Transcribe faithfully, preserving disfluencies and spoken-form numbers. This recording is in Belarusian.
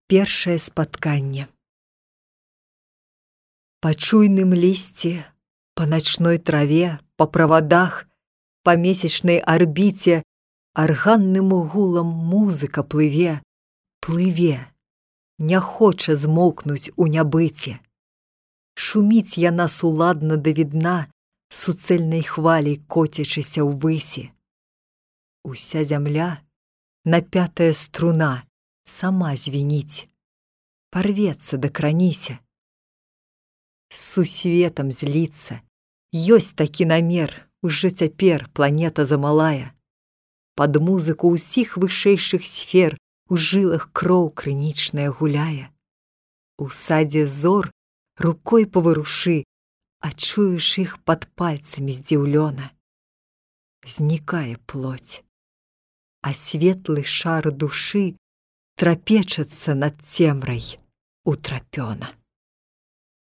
Першае спатканне. Па чуйным лісці, па начной траве, па правадах, па месячнай арбіце арганным гулам музыка плыве, плыве, не хоча змоўкнуць у нябыце. Шуміць яна суладна да відна, суцэльнай хваляй коцячыся ўвысі. Уся зямля, напятая струна, сама звініць, парвецца да краніся. З сусветам зліцца, ёсць такі намер, ужо цяпер планета замалая. Пад музыку ўсіх вышэйшых сфер у жылах кроў крынічная гуляе. У садзе зор рукой паварушы, а чуеш іх пад пальцамі здзіўлёна. Знікае плоць, а светлы шар душы трапечацца над цемрай утрапёна.